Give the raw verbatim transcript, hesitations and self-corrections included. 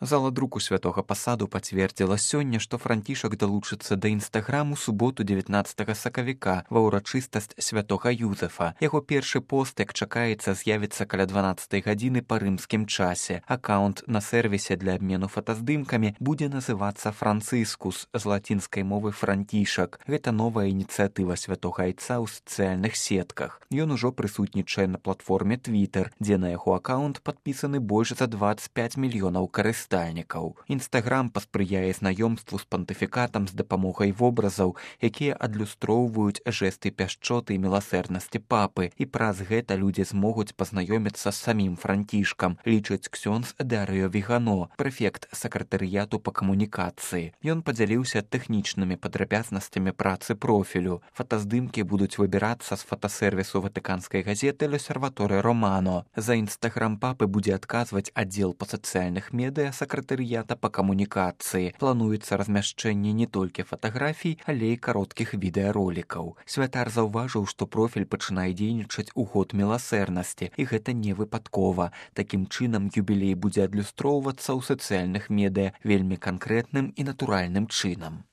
Зала друку святога пасаду пацвердзіла сёння, што Францішак далучыцца да інстаграму суботу дзевятнаццатага сакавіка ва ўрачыстасць святога Юзефа. Яго першы пост, як чакаецца, з'явіцца каля дванаццатай гадзіны па рымскім часе. Акаунт на сервісе для абмену фотаздымкамі будзе называцца Францыскус з лацінскай мовы Францішак. Гэта новая ініцыятыва святога айца ў сацыяльных сетках. Ён ужо прысутнічае на платформе Twitter, дзе на яго акаунт падпісаны больш за дваццаць пяць мільёнаў карыстальнікаў. Інстаграм паспрыяе знаёмству з пантыфікатам з дапамогай вобразаў, якія адлюстроўваюць жэсты пяшчоты і міласэрнасці папы, і праз гэта людзі змогуць пазнаёміцца з самім Францішкам, лічыць ксёндз Дарыё Вігано, прэфект сакратарыяту па камунікацыі. Ён падзяліўся тэхнічнымі падрабязнасцямі працы профілю. Фотаздымкі будуць выбірацца з фотасервісу ватыканскай газеты «Л'осерваторе Романо». За інстаграм папы будзе адказваць аддзел па сацыяльных медыа сакратарыята па камунікацыі. Плануецца размяшчэнне не толькі фатаграфій, але і кароткіх відэаролікаў. Святар заўважыў, што профіль пачынае дзейнічаць у год міласэрнасці, і гэта не выпадкова. Такім чынам юбілей будзе адлюстроўвацца ў сацыяльных медыа вельмі канкрэтным і натуральным чынам.